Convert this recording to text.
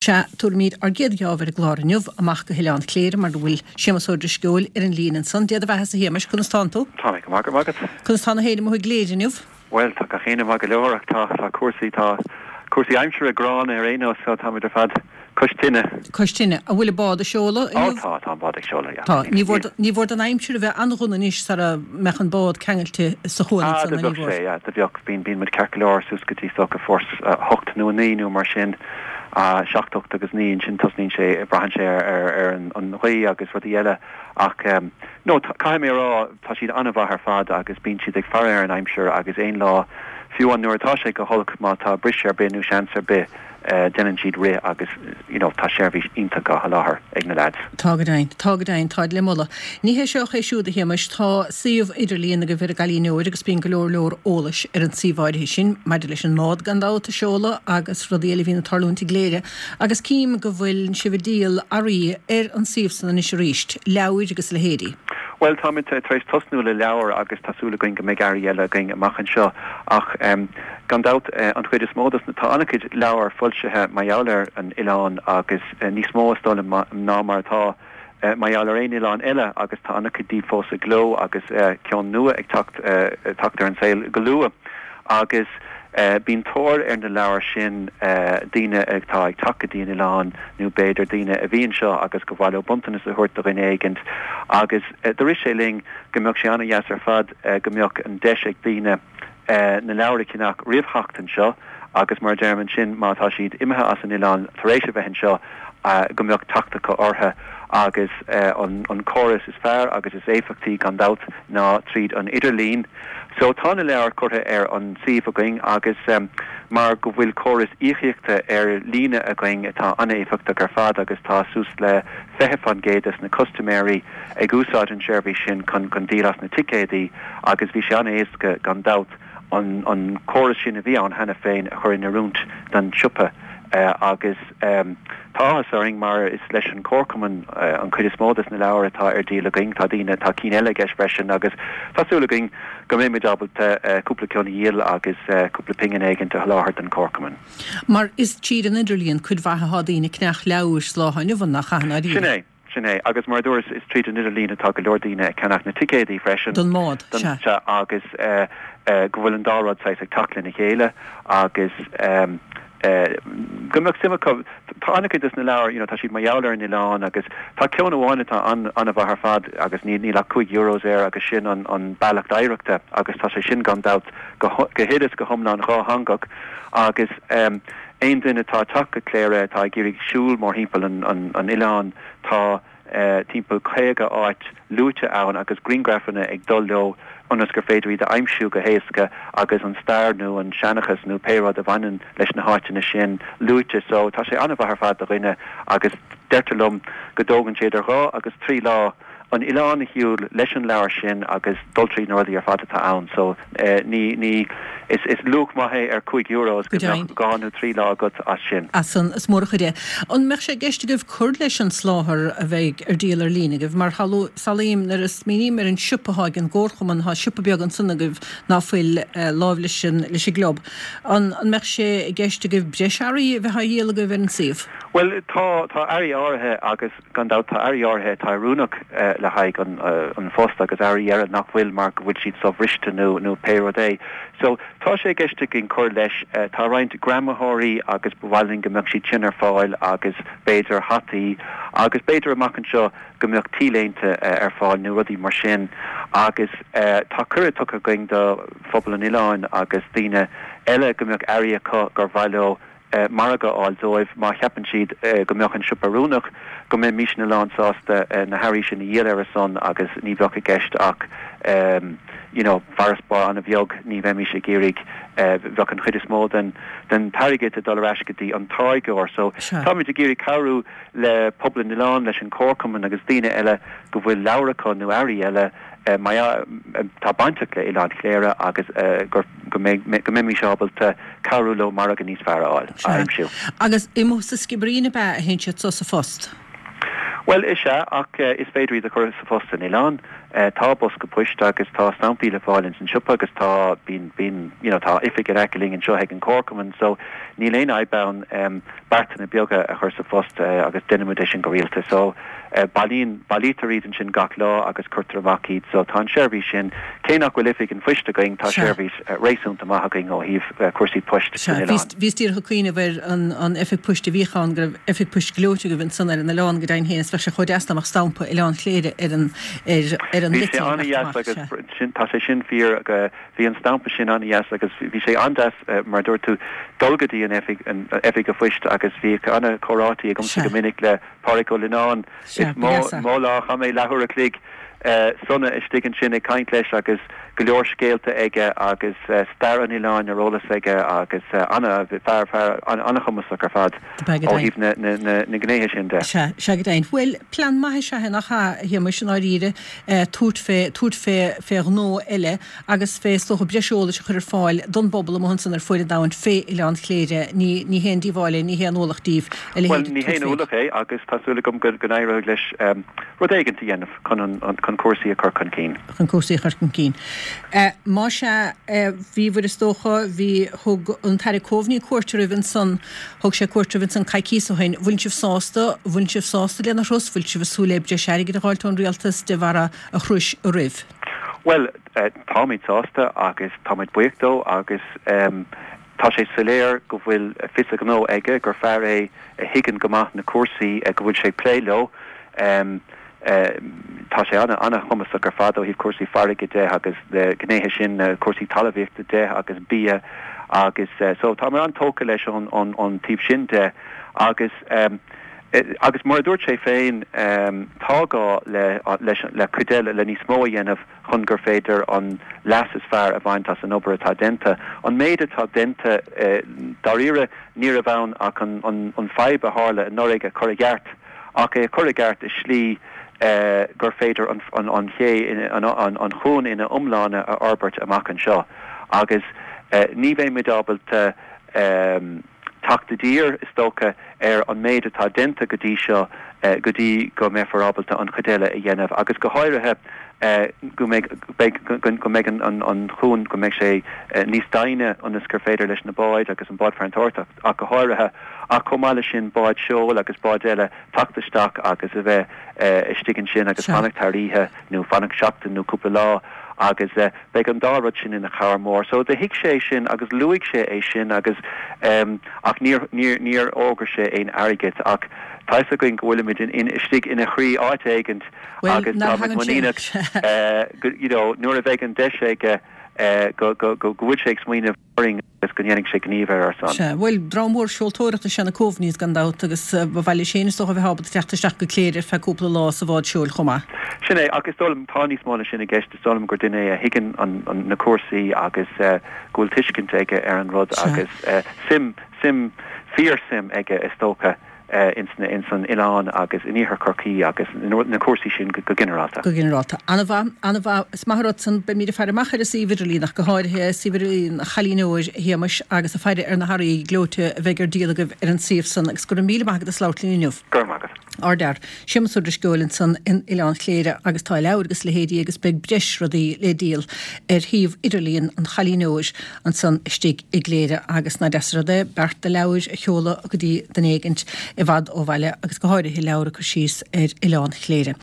Sea, tabharfaimid ár gcéad gheábh ar an gclár inniu, amach go hOileán Chléire, mar a bhfuil Séamus Ó Drisceoil ar an líne ansan. Dé do bheathasa, a Shéamais, conas tánn tú? Tá mé go maith, go raibh maith agat. Conas tá na héinne amuigh i gCléire inniu? Bhuel, tá gach éinne maith go leor ach tá, tá cúrsaí, tá cúrsaí aimsire gránna ar aon nós, so táimid ar fad cois tine. Cois tine. An bhfuil an bád ag seoladh inniu? Ó tá, tá an bád ag seoladh, yeah. Tá. Ní mhór, ní mhór don aimsir a bheith an-dhona anois sara mbeadh an bád ceangailte sa chuan Ah, ansan, do ní bheadh mhór? sé, yeah, do bheadh. Bíonn, bíonn muid ceart go leor suas go dtí is dócha fórsa 8 nó 9 nó mar sin, 7, 8 agus 9, ansin tosnaíonn sé, braitheann sé ar, ar, ar an, an ghaoth agus rudaí eile ach no, caithfidh mé a rá, tá siad an-mhaith ar fad agus bíonn siad ag faire ar an aimsir agus aon lá, fiú amháin nuair atá sé go holc, má tá briseadh ar bith nó seans ar bith, déanann siad rith agus you know tá seirbhís iontach á sholáthar ag na leaids. Tá go deimhin. Tá go deimhin. Táid le moladh. Ní hé seo ach é siúd, a Shéamais. Tá suíomh idirlíon agaibh ar an gCailín Óir agus bíonn go leor leor eolais ar an suíomh áirithe sin, maidir leis an mbád gan dabht a seoladh agus rudaí eile a bhíonn ag tarlúint i gCléire. Agus cím go bhfuil sibh ag díol earraí ar an suíomh san anois arís, leabhair agus a leithéidí. Bhuel, táimid tar éis tosnú le leabhair agus tá súil againn go mbeidh earraí eile againn amach anseo ach gan dabht an chuid is mó dos na, tá an-chuid leabhar foilsithe mar gheall ar an oileán agus níos mó is dóigh liom ná mar atá mar gheall ar aon oileán eile agus tá an-chuid díobh fós i gcló agus ceann nua ag teacht teacht ar an saol go luath agus bíonn tóir ar na leabhair sin, daoine atá ag teacht go dtí an oileán nó b'fhéidir daoine a bhí anseo agus gur mhaith leo bronntanas a thabhairt do dhuine éigint agus do rith sé linn go mbeadh sé an-dheas ar fad go mbeadh an deis ag daoine na leabhair a cheannach roimh theacht anseo agus mar a deirim ansin má tá siad imithe as an oileán tar éis a bheith anseo go mbeadh teacht acu orthu agus an córas is fearr agus is éifeachtaí gan dabht ná tríd an idirlíon. So tá na leabhair curtha ar an suíomh againn agus mar go bhfuil córas íocaíochta ar líne againn atá an-éifeachtach ar fad agus tá suas le 20% des na custaiméirí ag úsáid an seirbhís sin chun chun díol as na ticéadaí agus bhí sé an-éasca gan dabht an an córas sin a bhí ann cheana féin a chur in oiriúint don siopa agus tá áthas orainn mar is leis an Chomharchumann an chuid is mó des na leabhair atá ar díol againn, tá daoine, tá cinn eile i gceist freisin agus tá súil againn go mbeimid ábalta cúpla ceann a dhíol agus cúpla pingin éigint a sholáthar don Chomharchumann. Mar is tríd an idirlíon cuid mhaith atá daoine ag ceannach leabhair sa lá atá inniu ann, nach ea, i ndáiríre? Sin é. Sin é. Agus mar a dúras, is tríd an idirlíon atá go leor daoine ag ceannach na ticéadaí freisin. Don mbád, sea. Sea, agus go bhfuil an dá rud saghas ag teacht lena chéile agus go mbeadh suim acu. Tá an-chuid des na leabhair, you know, tá siad mar gheall ar an oileán agus tá ceann amháin atá an-mhaith ar fad agus níl ach 5 euros air agus sin an an Bealach d'Oidhreachta agus tá sé sin gan dabht go huile is go hiomlán dhátheangach agus Aon duine atá ag teacht go Cléire atá ag iarraidh siúl mórthimpeall an oileáin, tá timpeall 50 áit luaite ann agus grianghrafanna ag dul leo ionas gur féidir iad a aimsiú go héasca agus an stair nó an seanchas nó pé rud a bhaineann leis na háiteanna sin luaite. So tá sé an-mhaith ar fad do dhuine agus deirtear liom go dtógann sé idir dhá agus trí lá an oileán a shiúl leis an leabhar sin agus dul tríd na rudaí ar fad atá ann so ní, ní, is, is luach maith é ar 5 euros go mbeadh dhá nó trí lá agat as sin. As san, is mór an chuid é. An mbeadh sé i gceist agaibh cur leis an soláthar a bheidh ar díol ar líne agaibh? Mar samhlaím, nuair a smaoiním ar an siopa atá ag an gComharchumann, tá siopa beag ansan agaibh ná fuil láimh leis an, leis an gclub. An, an mbeadh sé i gceist agaibh breis earraí a bheith á dhíol agaibh ar an suíomh? Bhuel, tá, tá earraí áirithe agus. Gan dabht, tá earraí áirithe atá oiriúnach le haghaidh an phost agus earraí eile nach bhfuil mar go bhfuil siad sobhriste nó nó pé rud é. So, tá sé i gceist againn cur leis. Tá roinnt greamaitheoirí agus ba mhaith linn go mbeadh siad sin ar fáil agus b'fhéidir hataí agus b'fhéidir amach anseo go mbeadh T-léinte ar fáil nó rudaí mar sin. Agus tá cuireadh tugtha againn do phobal an oileáin agus daoine eile go mbeadh earraí acu gur mhaith leo margadh a fháil dóibh má cheapann siad go mbeadh an siopa oiriúnach, go mbeimisne lánsásta na hearraí sin a dhíol ar a son agus ní bheadh i gceist ach you know farasbarr an-bheag, ní bheimis ag iarraidh, bheadh an chuid is mó den den t-airgead ag dul ar ais go dtí an táirgeoir. So táimid ag iarraidh cabhrú le pobal an oileáin, leis an Chomharchumann agus daoine eile go bhfuil leabhair acu nó earraí eile atá bainteach le Oileán Chléire agus go mbeimis ábalta cabhrú leo margadh níos fearr a fháil, a aimsiú. Agus amuigh sa Sciobairín ab ea a théann siad so sa phost? Bhuel, is ea, ach is féidir iad a chur sa phost san oileán. Tá bosca poist agus tá stampaí le fáil ins an siopa agus tá, bíonn, bíonn, you know, tá oifig in aice linn anseo ag an Comharchumann so níl aon fhadhb ann beartanna beaga a chur sa phost agus déanaimid é sin go rialta. So bailíonn, bailítear iad ansin gach lá agus cuirtear amach iad so tá an seirbhís sin, cé nach bhfuil oifig an phoist againn, tá seirbhís réasúnta maith againn ó thaobh cúrsaí poist san oileán. Bhíos díreach ag cuimhneamh ar an oifig poist a bhíodh ann, go raibh oifig poist gleoite agaibh ansan ar an oileán go deimhin féin is bheadh sé chomh deas dá mbeadh stampa Oileán Chléire ar an ar an Bhí sé litir ag an-dheas amach, agus sea. sin, tá sé sin fíor, bhí an stampa sin an-dheas agus bhí sé an-deas mar a dúirt tú dul go dtí an oifig, an oifig a phoist agus bhíodh an-chomhráití agamsa Sea. go minic le Pádraic Ó Lionáin. Sea, Is ba mó, dheas é. mó lá a chaith mé leathuair a chloig sona istigh ansin ag caint leis agus go leor scéalta aige agus stair an oileáin ar eolas aige agus ana, fear, fear an-chumasach ar fad ó thaobh na, na, na, na ngnéithe sin de. Sea, sea go deimhin. Bhuel, plean maith is ea é, nach ea, a Shéamais, i ndáiríre, tabhairt fé, tabhairt fé, fé ghnó eile agus fé, is dócha, breis eolais a chur ar fáil don bpobal amuigh ansan ar fuaid an domhain fé Oileán Chléire. Ní, ní haon díobháil é, ní haon ualach díbh a leithéid Bhuel, ní haon ualach é agus tá súil agam go, go n-éireoidh leis rud éigint a dhéanamh chun an, chun cúrsaí a chur chun cinn. Chun cúrsaí a chur chun cinn. Más ea, bhíobhair is dócha, bhí, thug an tAire Coveney cuairt oraibh ansan, thug sé cuairt oraibh ansan coicíos ó shin. Bhfuil sibh sásta, bhfuil sibh sásta lena thuras, bhfuil sibh ag súil le breis airgid a dh'fháilt ón Rialtas de bharra a thurais oraibh? Bhuel, táimid sásta agus táimid buíoch dó agus tá sé soiléir go bhfuil fios a ghnó aige, gur fear é a thuigeann go maith na cúrsaí go bhfuil sé ag plé leo. Tá sé an-chumasach ar fad ó thaobh cúrsaí farraige de agus na gnéithe sin, cúrsaí talmhaíochta de agus bia agus so táimid an-tógtha leis ón taobh sin de agus agus mar a dúirt sé féin tá gá le leis le cuid eile le níos mó a dhéanamh chun gur féidir an leas is fearr a bhaint as an obair atá déanta. An méid atá déanta dáiríre ní raibh ann ach an an fadhb a tharla anuraidh a chur i gceart ach é a chur i gceart i slí gur féidir an an ché an an chuan ina iomláine a fhorbairt amach anseo agus ní bheimid ábalta teacht i dtír, is dócha, ar an méid atá déanta go dtí seo go dtí go mbeifear ábalta an chuid eile a dhéanamh agus go háirithe go mbeidh, beidh, go mbeidh an cuan, go mbeidh sé níos doimhne ionas gur féidir leis na báid agus an bád farantóireachta ach go háirithe ach chomh maith leis sin báid seoil agus báid eile teacht isteach agus a bheith istigh ansin agus fanacht thar oíche nó fanacht seachtain nó cúpla lá agus beidh an dá rud sin ina chabhair mhór. So do thuig sé sin agus luaigh sé é sin agus ach níor, níor, níor fhógair sé aon airgead ach tá fhios againn go bhfuilimid in, in, istigh ina chroí áit éigint Bhuel, agus ná táimid thagann sé. muiníneach go, you know, nuair a bheidh an deis aige go, go, go, go bhfuil sé ag smaoineamh. orainn agus go ndéanfaidh sé gníomh ar ár son. Sea, bhuel, dream mór seoltóireachta is ea na Coveneys gan dabht agus ba mhaith leis féin is dócha a bheith ábalta teacht isteach go Cléire ar feadh cúpla lá sa bhád seoil chomh maith. Sin é, ach is dóigh liom, tá níos mó ná sin i gceist, is dóigh liom gur duine é a thuigeann an, na cúrsaí agus go bhfuil tuiscint aige ar an rud agus suim, suim, fíor-suim aige is dócha. ins an oileán agus in iarthar Chorcaí agus na cúrsaí sin go ginearálta. Go ginearálta. An-mhaith, an-mhaith. Is maith an rud san. Beimid ag faire amach ar an suíomh idirlín ach go háirithe, suíomh idirlín an Chailín Óir, a Shéamais, agus ag faire ar na hearraí gleoite a bheidh ar díol agaibh ar an suíomh san. Agus go raibh míle maith agat as labhairt linn inniu. Go raibh maith agat. Ardfhear. Séamus Ó Drisceoil ansan in Oileán Chléire agus tá leabhair agus leithéidí agus beidh breis rudaí le díol ar shuíomh idirlíon an Chailín Óir ansan istigh i gCléire agus nach deas an rud é beart de leabhair a sheoladh go dtí duine éigint i bhfad ó bhaile agus go háirithe leabhar ag cur síos ar Oileán Chléire.